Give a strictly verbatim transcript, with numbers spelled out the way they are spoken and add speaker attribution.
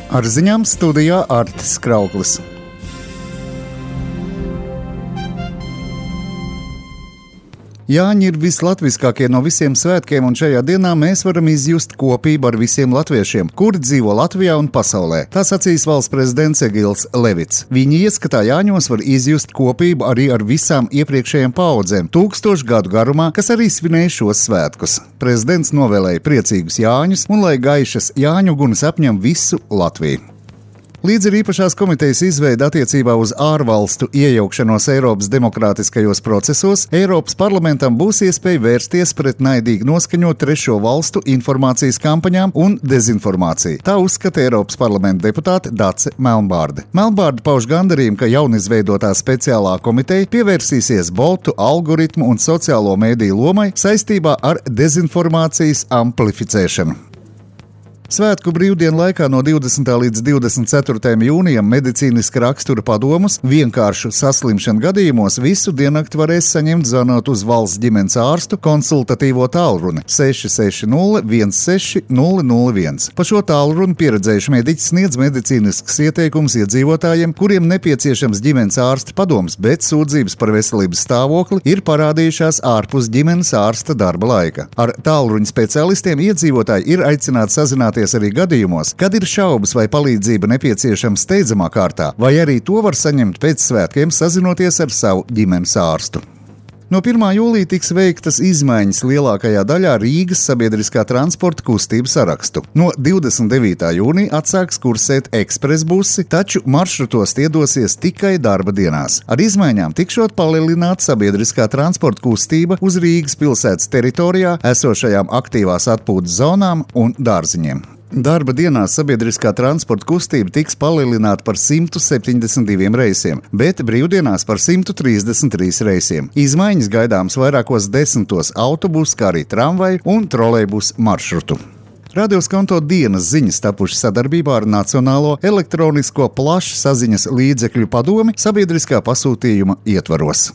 Speaker 1: Ar ziņām studijā Artis Krauklis. Jāņi ir vislatviskākie no visiem svētkiem, un šajā dienā mēs varam izjust kopību ar visiem latviešiem, kuri dzīvo Latvijā un pasaulē. Tā sacīs valsts prezidents Egils Levits. Viņa ieskatā Jāņos var izjust kopību arī ar visām iepriekšējām paaudzēm, tūkstošu gadu garumā, kas arī svinēja šos svētkus. Prezidents novēlēja priecīgus Jāņus un lai gaišas Jāņu gunas apņem visu Latviju. Līdz ar īpašās komitejas izveidi attiecībā uz ārvalstu iejaukšanos Eiropas demokrātiskajos procesos, Eiropas parlamentam būs iespēja vērsties pret naidīgi noskaņot trešo valstu informācijas kampaņām un dezinformāciju. Tā uzskata Eiropas parlamenta deputāte Dace Melnbārde. Melnbārde pauž gandarījumu, ka jaunizveidotā speciālā komiteja pievērsīsies botu, algoritmu un sociālo mēdīju lomai saistībā ar dezinformācijas amplificēšanu. Svētku brīvdienu laikā no divdesmitā līdz divdesmit ceturtajam jūnijam medicīniska rakstura padomus vienkāršu saslimšanu gadījumos visu diennakti varēs saņemt zvanot uz valsts ģimenes ārstu konsultatīvo tālruni seši seši nulle viens seši nulle nulle viens. Pa šo tālruni pieredzējuši mediķi sniedz medicīnisks ieteikums iedzīvotājiem, kuriem nepieciešams ģimenes ārsta padoms, bet sūdzības par veselības stāvokli ir parādījušās ārpus ģimenes ārsta darba laika. Ar tālruņa speciālistiem iedzīvotāji ir aicināti sazināties arī gadījumos, kad ir šaubas vai palīdzība nepieciešama steidzamā kārtā, vai arī to var saņemt pēc svētkiem sazinoties ar savu ģimenes ārstu. No pirmā jūlija tiks veiktas izmaiņas lielākajā daļā Rīgas sabiedriskā transporta kustību sarakstu. No divdesmit devītā jūnija atsāks kursēt ekspresbusi, taču maršrutos tie dosies tikai darba dienās. Ar izmaiņām tikšot palielināta sabiedriskā transporta kustība uz Rīgas pilsētas teritorijā esošajām aktīvās atpūtas zonām un dārziņiem. Darba dienās sabiedriskā transporta kustība tiks palielināta par simt septiņdesmit diviem reisiem, bet brīvdienās par simt trīsdesmit trīs reisiem. Izmaiņas gaidāmas vairākos desmitos autobusu, kā arī tramvaju un trolejbusu maršrutu. Radio Skonto dienas ziņas tapušas sadarbībā ar Nacionālo elektronisko plašsaziņas līdzekļu padomi sabiedriskā pasūtījuma ietvaros.